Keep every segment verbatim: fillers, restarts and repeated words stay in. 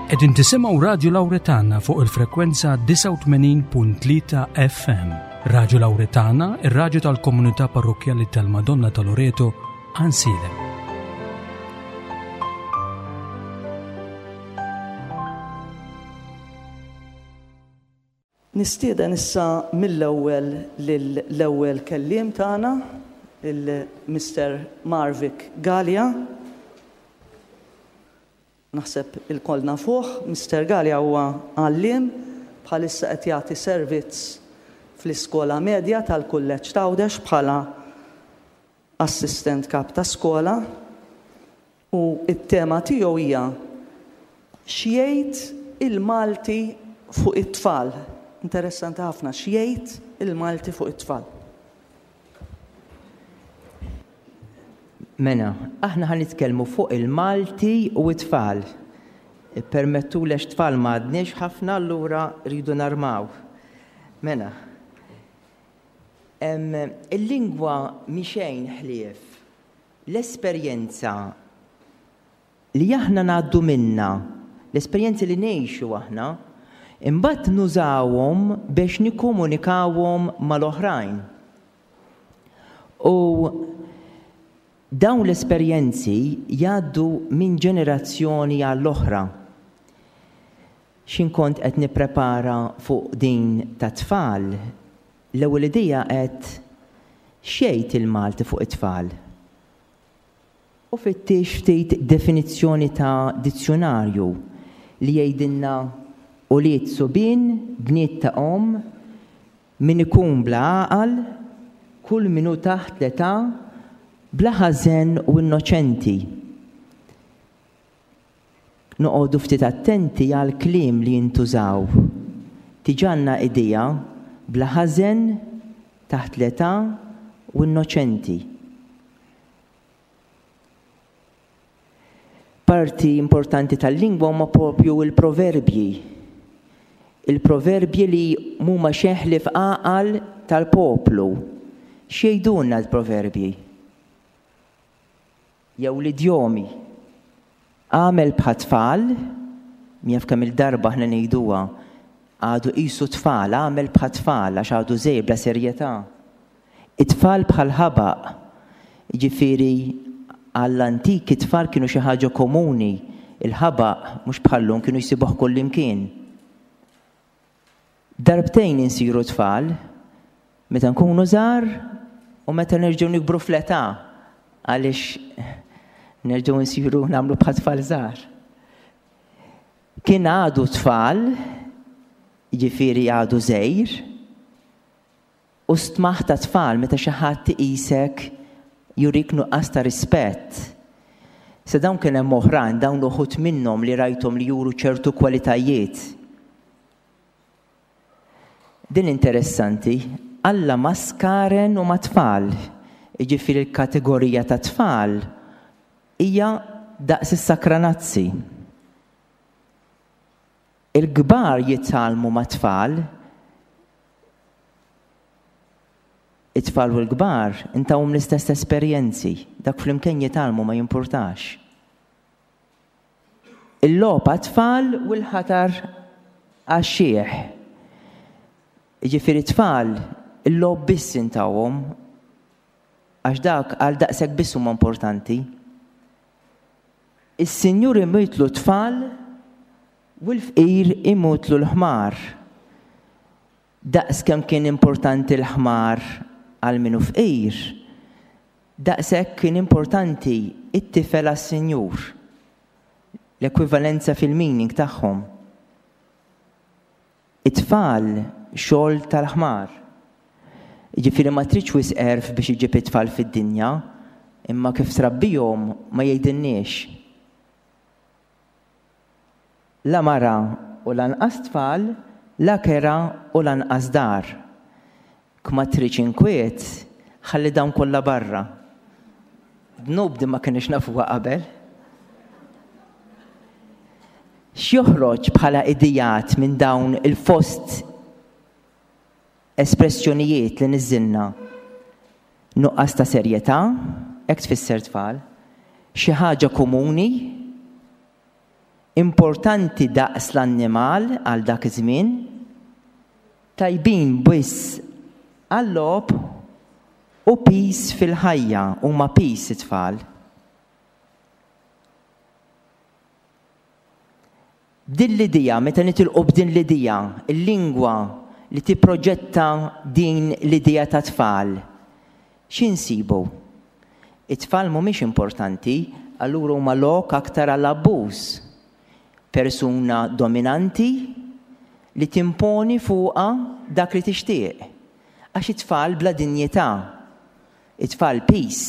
Qegħdin tisimgħu Radju Lawretana fuq il-frekwenza disgħa u tmenin punt tlieta F M. Radju Lawretana, ir-radju tal-komunità parrokkjali tal-Madonna ta' Loreto, Għajnsielem. Nistieden issa mill-ewwel lill-ewwel kelliem tagħna, il-Mister Marvic Galea. Naħseb ilkoll nafuh, Mister Galea huwa għalliem, bħalissa qed jagħti servizz fl-iskola medja tal-Kulleġġ t'Għawdex bħala assistent kap ta' skola, u t-tema tiegħu hija x'jgħid il-Malti fuq it-tfal. Interessanti ħafna, x'jgħid il-Malti fuq it-tfal. Mena, aħna ħa nitkellmu fuq il-Malti u t-tfal. Permettu lex tfal ma għadniex ħafna, allura rridu narmaw. Mena, em, il-lingwa mhi xejn ħlief l-esperjenza li aħna ngħaddu minna, l-esperjenzi li ngħixu aħna, imbagħad nużawhom biex nikkomunikawhom mal-oħrajn. U dawn l-esperjenzi jgħaddu minn ġenerazzjoni għall-oħra. X'in kont qed nipprepara fuq din ta' tfal, l-ewwel idea qed xejn il-Malti fuq it-tfal. U fittix ftit definizzjoni ta' dizzjonarju li jgħidilna ulied subien, bniet ta' omm, min ikun bla għaqal, kull min hu taħt l-età, bla ħażen u innoċenti. Noqogħdu ftit attenti għal kliem li jintużaw. Tiġanna idea bla ħażen, taħt l-età u innoċenti. Parti importanti tal-lingwa huma propju il-proverbji. Il-proverbji li huma xejn ħlief għaqal tal-poplu. X'jgħidulna l-proverbji? Jew l-idjomi. Għamel bħat-tfal, jaf kemm il-darba aħna ngħiduha, għadu qisu tfal, għamel bħat-tfal għax għadu żejr bla serjetà. It-tfal bħal ħabaq, jiġifieri għall-antiki tfal kienu xi ħaġa komuni, il-ħabaq mhux bħallum kienu jsibuh kullimkien. Darbtejn insiru tfal, meta nkunu żgħar u meta nerġgħu nikbru fl-età, għaliex nerġgħu nsiru nagħmlu bħal tfal żgħar. Kien għadu tfal, jiġifieri għadu żgħir, u stmaħ ta' tfal meta xi ħadd iqisek jurik nuqqas ta' rispett. Se dawn kien hemm oħrajn, dawn uħud minnhom li rajthom li juru ċertu kwalitajiet. Din interessanti, Alla ma skaren u ma tfal. Jiġifieri l-kategorija ta' tfal hija daqs is-sakranazzi. Il-kbar jitgħallmu ma' tfal, it-tfal u l-kbar intawhom l-istess esperjenzi, dak flimkien jitgħallmu ma jimpurtax. Il-logħba tfal u l-ħatar għax-xieħ. Jiġifieri tfal il-logħob biss intawhom, għax dak għal daqshekk biss huma importanti. Is-sinjur imutlu tfal u l-fqir imutlu l-ħmar. Daqs kemm kien importanti l-ħmar għal minu fqir, daqshekk kien importanti it-tifel għas-sinjur. L-ekwivalenza fil-meaning tagħhom. It-tfal xogħol tal-ħmar. Jiġifieri ma tridx wisq għerf biex iġib it-tfal fid-dinja, imma kif trabbihom ma jgħidilniex. La mara u lanqas tfal, la kera u lanqas dar. Kma tridx inkwiet, ħalli dawn kollha barra. Dnub din ma kienx nafuha qabel. X'joħroġ bħala idejat minn dawn il-fost espressjonijiet li niżilna? Nuqqas ta' serjetà, hekk tfisser tfal, xi ħaġa komuni, Importanti daqs l-annimal għal dak iż-żmien, tajbin biss għal-logħob u piż fil-ħajja, huma piż it-tfal. Din l-idea, meta nitilqu b'din l-idea, il-lingwa li tipproġetta din l-idea ta' tfal, x'insibu? It-tfal mhumiex importanti, allura huma lok aktar għall-abbuż. Persuna dominanti li timponi fuqha dak li tixtieq. Għax it-tfal bla dinjità, it-tfal piż.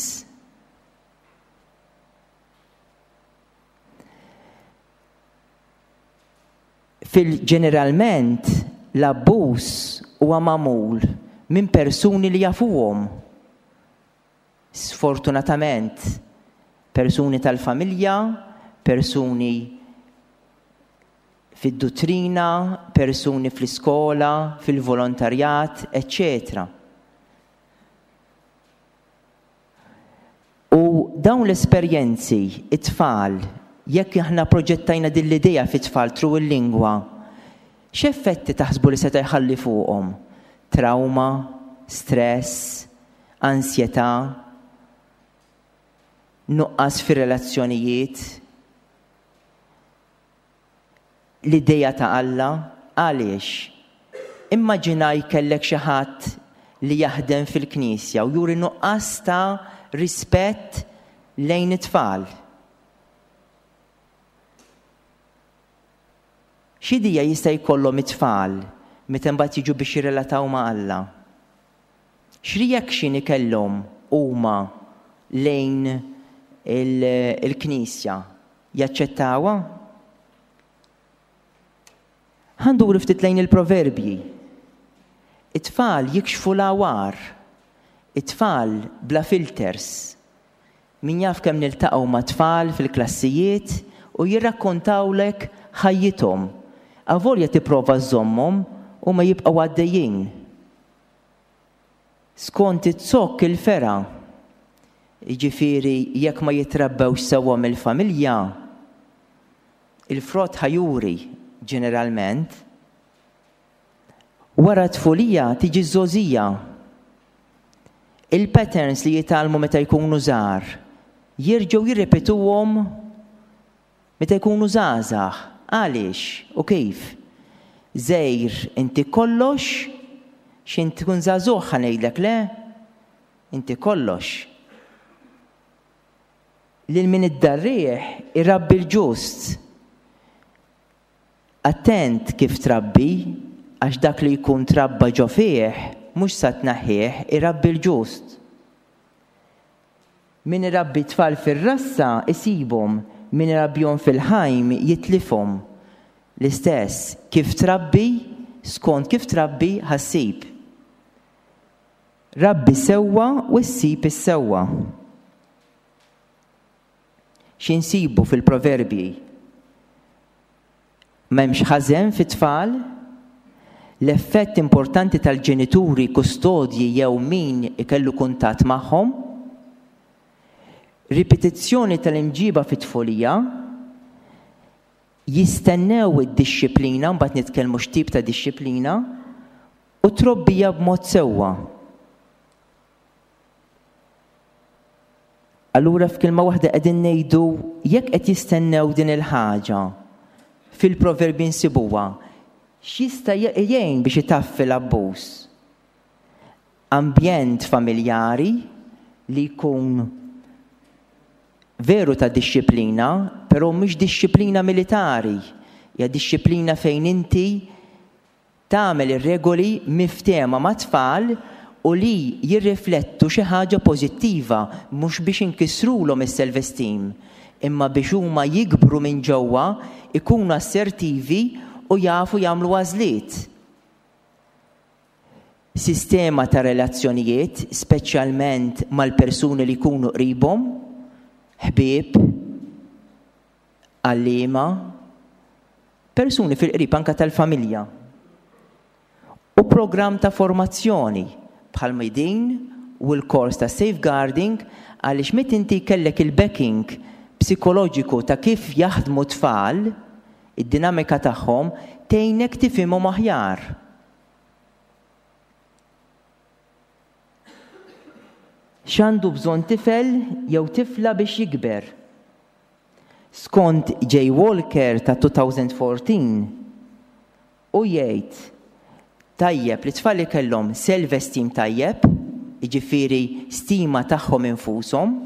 Fil-ġeneralment l-abbuż huwa magħmul minn persuni li jafuhom. Sfortunatament, persuni tal-familja, persuni fid-duttrina, persuni fl-iskola, fil-volontarjat, eċċetera. U dawn l-esperjenzi, it-tfal, jekk aħna proġettajna din l-idea fit-tfal through il-lingwa, x'effetti taħsbu li seta' jħalli fuqhom? Trauma, stress, ansjetà, nuqqas fir-relazzjonijiet, l-idea ta' Alla, għaliex? Immaġinaj kellek xi ħadd li jaħdem fil-knisja u juri nuqqas ta' rispett lejn it-tfal. X'idea jista' jkollhom it-tfal meta mbagħad jiġu biex jirrelataw ma' Alla? X'reaction ikellhom huma lejn il-knisja? Jaċċettawha? Ħa nduru ftit lejn il-proverbji. It-tfal jikxfu l-għawar, it-tfal bla filters. Min jaf kemm niltaqgħu ma' tfal fil-klassijiet u jirrakkontawlek ħajjithom. Avolja tipprova żżommhom u ma jibqgħu għaddejjin. Skont it-zokk il-fera, jiġifieri jekk ma jitrabbewx sewwa mill-familja, il-frott ħajuri ġeneralment. Wara tfulija tiġi ż-żgħożija. Il-patterns li jitgħallmu meta jkunu żgħar jerġgħu jirrepetuhom meta jkunu żgħażagħ. Għaliex u kif? Żejr inti kollox, x'int tkun żagħżugħ ħa ngħidlek le, inti kollox. Lil min iddarrieħ irabbi l-ġust. Attent kif trabbi, għax dak li jkun trabba ġo fih, mhux sa tnaħħih, irabbi l-ġust. Min irabbi tfal fir-rassa isibhom, min irabbihom fil-ħajm jitlifhom. L-istess, kif trabbi, skont kif trabbi ħassib. Rabbi sewwa u ssib is-sewwa. X'insibu fil-proverbji? M'hemmx ħażen fit-tfal, l-effett importanti tal-ġenituri, kustodji jew min ikellu kuntatt magħhom, ripetizzjoni tal-imġiba fit-tfulija, jistennew id-dixxiplina, mbagħad nitkellmu x'tip ta' dixxiplina, u trobbija b'mod sewwa. Allura f'kelma waħda qegħdin ngħidu jekk qed jistennew din il-ħaġa, fil-proverbi nsibuha, x'jista' jgħin biex itaffi l-abbuż? Ambjent familjari li jkun veru ta' dixxiplina, però mhux dixxiplina militari, hija dixxiplina fejn inti tagħmel ir-regoli miftehma mat-tfal u li jirriflettu xi ħaġa pożittiva, mhux biex inkissrulhom is-self-esteem, imma biex huma jikbru minn ġewwa, ikunu assertivi u jafu jagħmlu għażliet. Sistema ta' relazzjonijiet, speċjalment mal-persuni li jkunu qribhom, ħbieb, għalliema, persuni fil-qrib anka tal-familja. U programm ta' formazzjoni bħal din u l-kors ta' safeguarding, għaliex meta inti kellek il-backing psikoloġiku ta' kif jaħdmu tfal, Id-dinamika tagħhom tgħinek tifhimhom aħjar. X'għandu bżonn tifel jew tifla biex jikber? Skont Jay Walker ta' twenty fourteen, u jgħid tajjeb li tfal li kellhom self-esteem tajjeb, jiġifieri stima tagħhom infushom,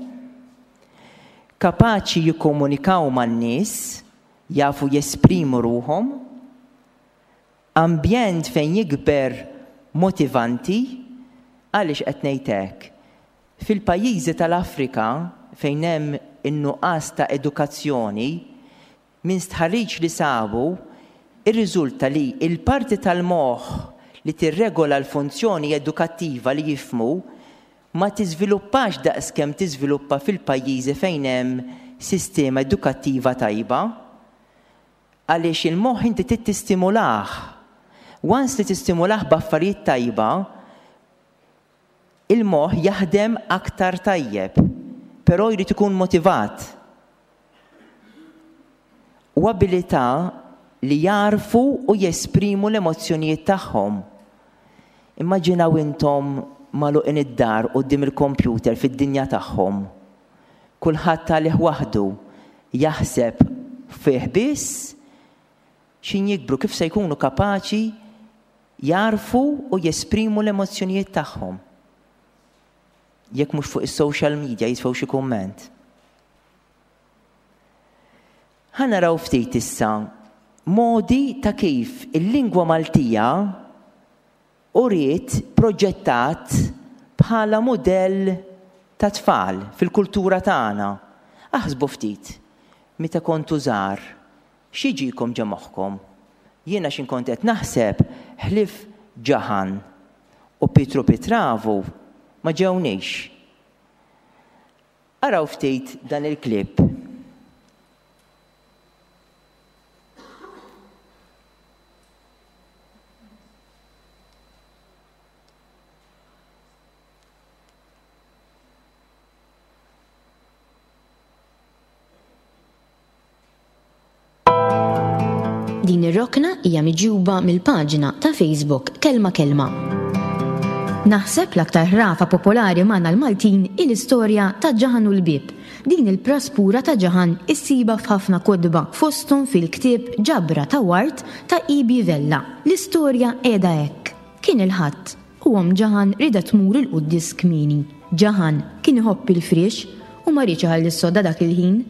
kapaċi jikkomunikaw man-nies, jafu jesprimu ruħhom, ambjent fejn jikber motivanti. Għaliex qed ngħid hekk? Fil-pajjiżi tal-Afrika fejn hemm in-nuqqas ta' edukazzjoni, minn stħarriġ li sabu, irriżulta li il-parti tal-moħħ li tirregola l-funzjoni edukattiva li jifhmu ma tiżviluppax daqskemm tiżviluppa fil-pajjiżi fejn hemm sistema edukattiva tajba. Għaliex il-moħħ inti trid tistimulah. Once li tistimulah b'affarijiet tajba, il-moħħ jaħdem aktar tajjeb, però jrid ikun motivat. U abilità li jarfu u jesprimu l-emozzjonijiet tagħhom. Immaġinaw intom magħluqin id-dar quddiem il-kompjuter fid-dinja tagħhom. Kulħadd għalih waħdu jaħseb fih biss, x'ħin jikbru kif se jkunu kapaċi jarfu u jesprimu l-emozzjonijiet tagħhom? Jekk mhux fuq is-social media jitfgħu xi kumment. Ħa naraw ftit issa modi ta' kif il-lingwa Maltija uriet proġettat bħala modell ta' tfal fil-kultura tagħna. Aħsbu ftit, meta kontu żgħar, x'jiġikom ġo moħħkom? Jiena x'ħin kont qed naħseb, ħlief Ġaħan u Pietru Pitravu ma ġewnix. Araw ftit dan il-klip. Din ir-rokna hija miġjuba mill-paġna ta' Facebook Kelma Kelma. Naħseb l-aktar ħrafa popolari magħna l-Maltin il-istorja ta' Ġaħan u l-Bib. Din il-praspura ta' Ġaħan issibha f'ħafna kotba, fosthom fil-ktieb Ġabra ta' Ward ta' Ibi Vella. L-istorja qiegħda hekk. Kien il-Ħadd u omm Ġaħan ridet tmur il-quddies kmieni. Ġaħan kien iħobb il-friex u ma riedx iħalli s-sodda dak il-ħin.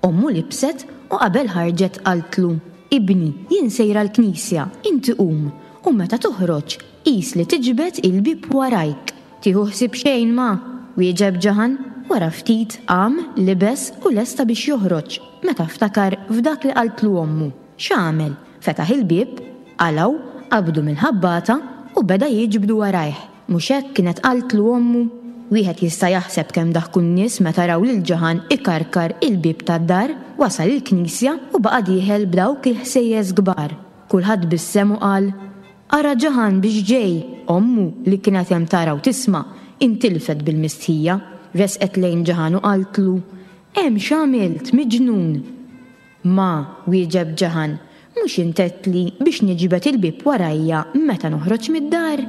Ommu libset u qabel ħarġet qaltlu: "Ibni, jien sejra l-knisja, inti qum, u meta toħroġ, qis li tiġbed il-bib warajk." "Tieħu ħsieb xejn, ma," wieġeb Ġaħan. Wara ftit qam, libes u lesta biex joħroġ, meta ftakar f'dak li qaltlu ommu. X'għamel? Fetaħ il-bib, qalgħu, qabdu mill-ħabbata u beda jiġbdu warajh. Mhux hekk kienet qaltlu ommu? Wieħed jista' jaħseb kemm daħku n-nies meta raw lil Ġaħan ikarkar il-bib tad-dar, wasal il-knisja u baqa' dieħel b'dawk il-ħsejjes kbar. Kulħadd tbissem u qal: "Ara Ġaħan biex ġej!" Ommu li kienet hemm tara u tisma' intilfet bil-mistħija, resqet lejn Ġaħan u qaltlu: "Hemm x'għamilt, miġnun?" "Ma," wieġeb Ġaħan, "mhux int għedtli biex niġbed il-bib warajja meta noħroġ mid-dar?"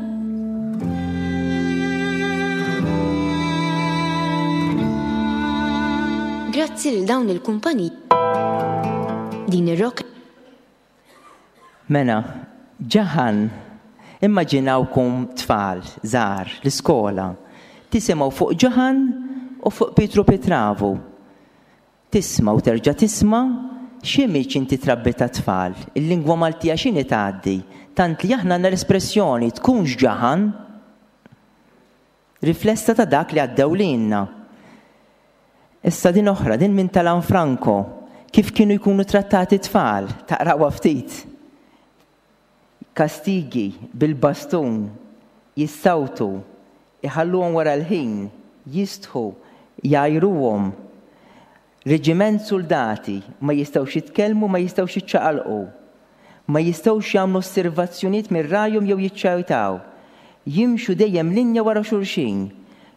Grazzi lil dawn il-kumpaniji. Din ir-rok Mela, Ġaħan, immaġinawkom tfal, żgħar, l-iskola, tisimgħu fuq Ġaħan u fuq Pietru Pitravu. Tisma' u terġa' tisma' x'image inti trabbi ta' tfal, il-lingwa Maltija x'inhi tgħaddi, tant li aħna għandna l-espressjoni "tkunx Ġaħan", riflessa ta' dak li għaddew lilna. Issa din oħra, din minn tal-Franco, kif kienu jkunu trattati tfal, taqrawha ftit. Kastigi bil-bastun, jissawtu, iħalluhom wara l-ħin, jistħu, jgħajruhom. Reġiment soldati ma jistgħux jitkellmu, ma jistgħux jiċċaqalqu. Ma jistgħux jagħmlu osservazzjonijiet minn rajhom jew jiċċajtaw. Jimxu dejjem linja wara xulxin.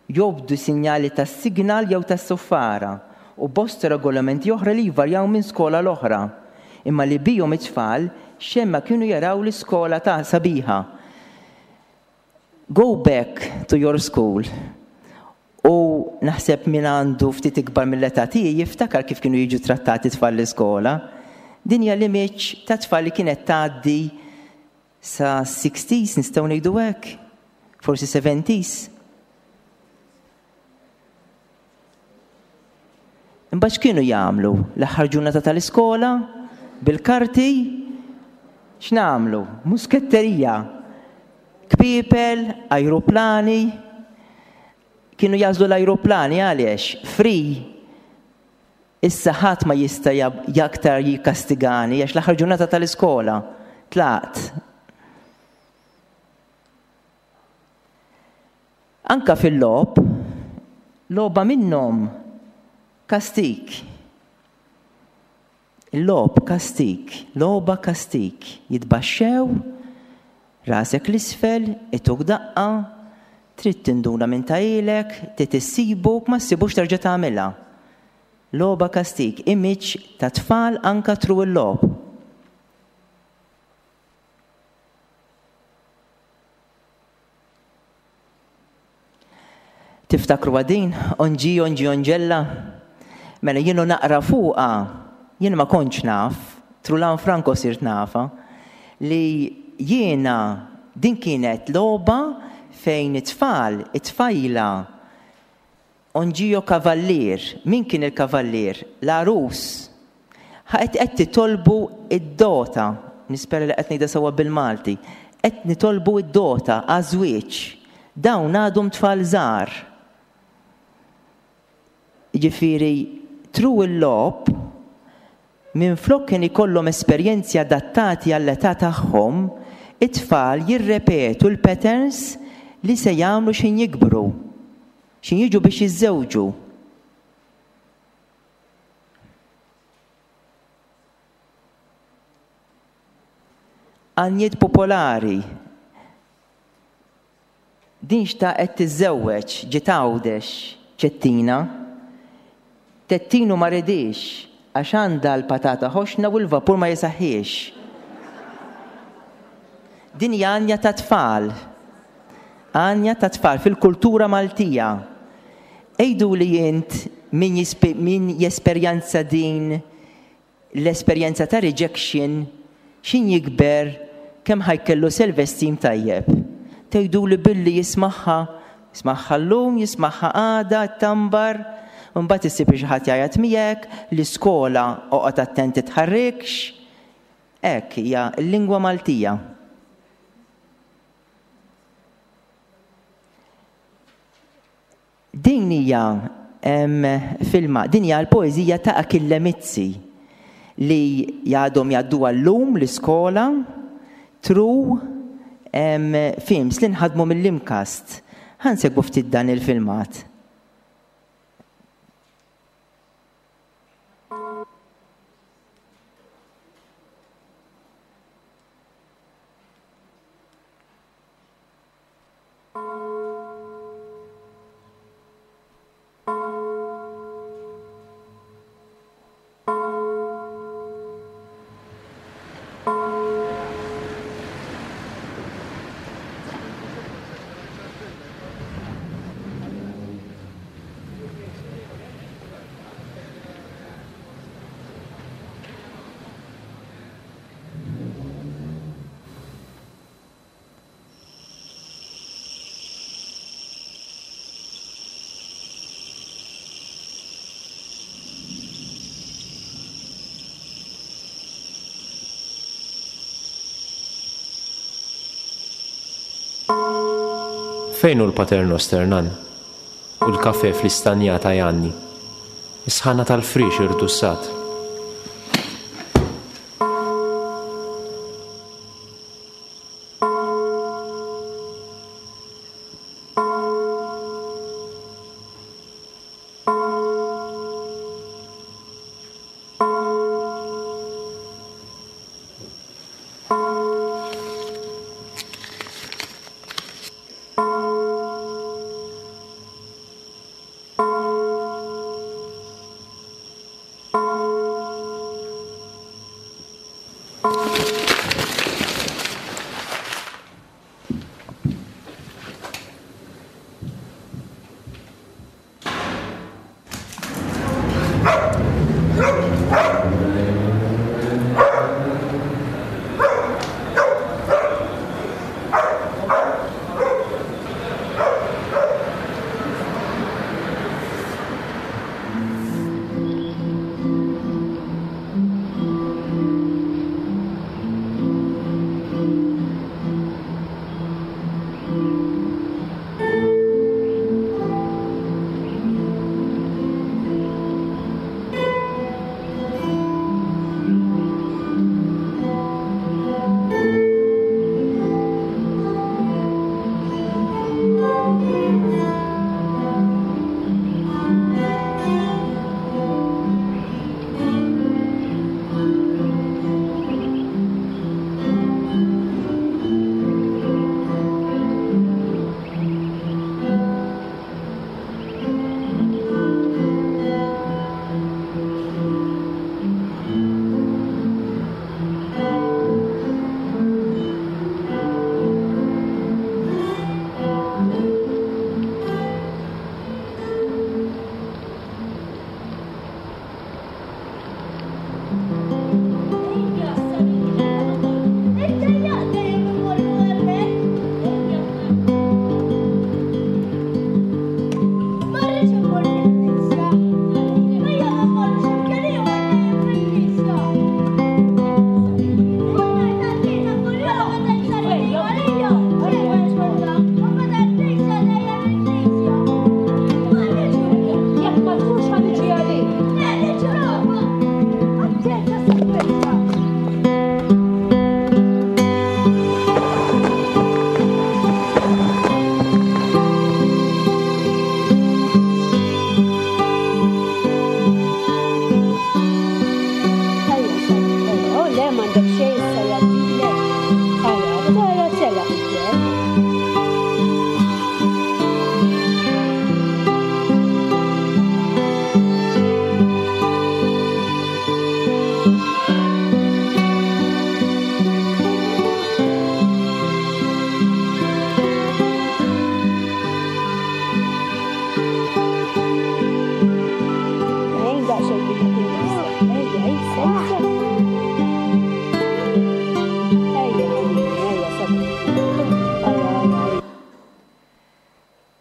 Jobdu sinjali tas-signal jew tas-suffara u bosta regolamenti oħra li jvarjaw minn skola l-oħra. imma li bihom it-tfal xemma kienu jaraw l-iskola ta' sabiħa. Go back to your school. U naħseb min għandu ftit ikbar mill-età tiegħi jiftakar kif kienu jiġu trattati tfal l-iskola. Din hija l-image ta' tfal li kienet tgħaddi sa sixties nistgħu ngħidu hekk, forsi seventies. Imbagħad x'kienu jagħmlu l-aħħar ġurnata tal-iskola bil-karti? X'nagħmlu? Musketterija, kpiepel, ajruplani. Kienu jażlu l-ajruplani għaliex? Free. Issa ħadd ma jista' jaktar jikkastigani għax l-aħħar ġurnata tal-iskola tlaqt. Anka fil-logħob, logħba minnhom kastik. Il-logħob kastik, logħba kastik. Jitbaxxew, rasek l-isfel, ituk daqqa, trid tinduna minn tajlek, trid issibuk, ma ssibux terġa' tagħmilha. Logħba kastik, image ta' tfal anka tru l-logħob. Tiftakru għadin, onġi, onġi, onġella? Mela jienu naqra fuqa, jien ma kontx naf, Trulan Franco sirt nafa, li jiena din kienet logħba fejn it-tfal, it-tfajla, onġio kavallier. Min kien il-kavallier? L-għarus. Qed qed titolbu id-dota, nispera li qed ngħidha sewwa bil-Malti, qed nitolbu id-dota għaż-żwieġ. Dawn għadhom tfal żgħar. Jiġifieri tru il-logħob minflok kien ikollhom esperjenzi adattati għall-età tagħhom, it-tfal jirrepetu l-patterns li se jagħmlu x'in jikbru, x'in jiġu biex jiżżewġu. Għanjiet popolari. Din xtaqet tiżżewweġ, ġiet Għawdex, Ċettina. Tettinu ma ridix għax għandha l-patata ħoxna u l-vapur ma jisaħħiex. Din hija għanja ta' tfal. Għanja ta' tfal fil-kultura Maltija. Ejdu li int min jispe-, min jesperjenza din l-esperjenza ta' rejection, xin jikber kemm ħajkellu self-esteem tajjeb. Tgħidu li billi jismaħħa, jismaħħa llum, jismaħħa għada, tambar, mbagħad issib xi ħadd jgħajjat miegħek, l-iskola oqgħod attent titħarrikx. Hekk hija l-lingwa Maltija. Din hija, em, filma, din hija l-poeżija ta' Achille Mizzi li jgħadhom jgħadduha llum l-iskola tru, em, films li nħadmu mill-Imkast. Ħa nsegwu ftit dan il-filmat. Fejn hu l-Paternoster, nan? U l-kafe fl-istanjata Janni? Is-sħana tal-frix irdussat.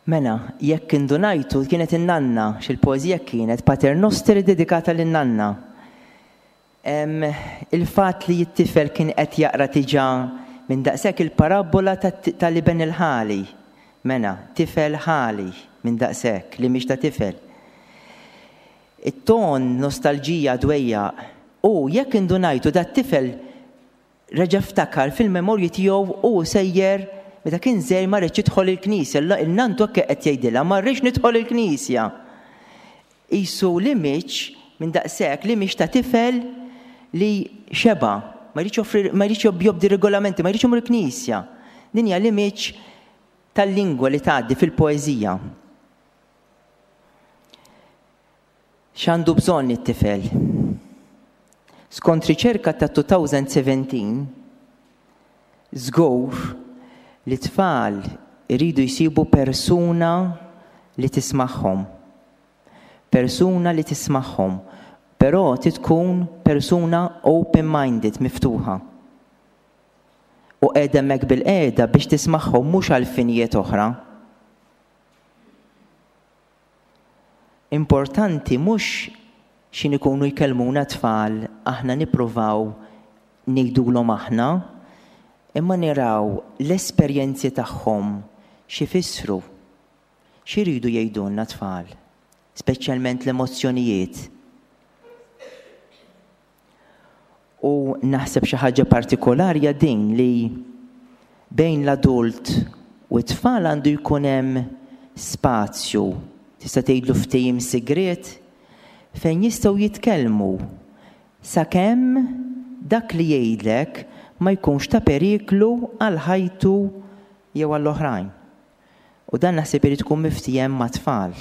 Mela, jekk indunajtu kienet in-nanna, xil-poeżija kienet Pater Noster dedikata lin-nanna. Il-fatt li t-tifel kien qed jaqra diġà minn daqshekk il-parabola tal-iben il-ħali. Mela, tifel ħali minn daqshekk li mhix ta' tifel. It-ton nostalġija dwejjaq u jekk indunajtu dat-tifel reġa' ftakar fil-memorji tiegħu u sejjer meta kien żgħir ma rridx jidħol il-knisja, il-nantu hekk qed jgħidilha ma rridx nidħol il-knisja. Qisu l-image minn daqshekk li mhix ta' tifel li xeba, ma jridx joffri, ma jridx jobdi regolamenti, ma jridx imur il-knisja. Din hija l-image tal-lingwa li tgħaddi fil-poeżija. X'għandu bżonn it-tifel? Skont riċerka ta' twenty seventeen, żgur li tfal iridu jsibu persuna li tismagħhom. Persuna li tismagħhom, però trid tkun persuna open-minded, miftuħa. U qiegħda hemmhekk bil-qiegħda biex tismagħhom mhux għal finijiet oħra. Importanti mhux x'in ikunu jkellmuna tfal aħna nippruvaw ngħidulhom aħna, imma niraw l-esperjenzi tagħhom x'ifissru, x'iridu jgħidulna tfal, speċjalment l-emozzjonijiet. U naħseb xi ħaġa partikolari hija din li bejn l-adult u t-tfal għandu jkun hemm spazju, tista' tgħidlu ftehim sigriet, fejn jistgħu jitkellmu sakemm dak li jgħidlek ma jkunx ta' periklu għal ħajtu jew għall-oħrajn. U dan naħseb irid ikun miftiehem mat-tfal.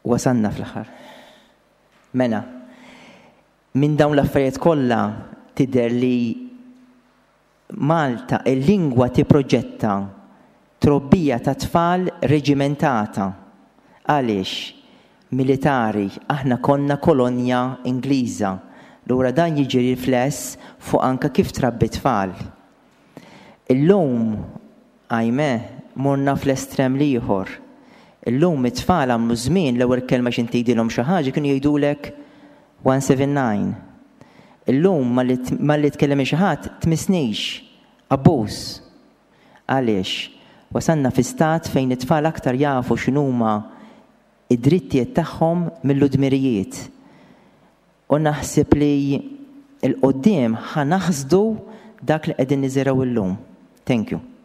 Wasalna fl-aħħar. Mela, minn dawn l-affarijiet kollha tidher li Malta il-lingwa tipproġetta trobbija ta' tfal reġimentata. Għaliex? militari, aħna konna kolonja Ingliża. Lura dan jiġi rifless fuq anka kif trabbi tfal. Illum, għajme, morna fl-estrem l-ieħor. Illum it-tfal għamlu żmien, l-ewwel kelma x'ħin tgħidilhom xi ħaġa kienu jgħidulek one seven nine. Illum malli tkellem xi ħadd, "Tmissnix, abbuż." Għaliex? Wasanna fi stat fejn it-tfal aktar jafu x'inhuma id-drittijiet tagħhom mill-dmirijiet. U naħseb li 'l quddiem ħa naħsdu dak li qegħdin niżirgħu illum. Thank you.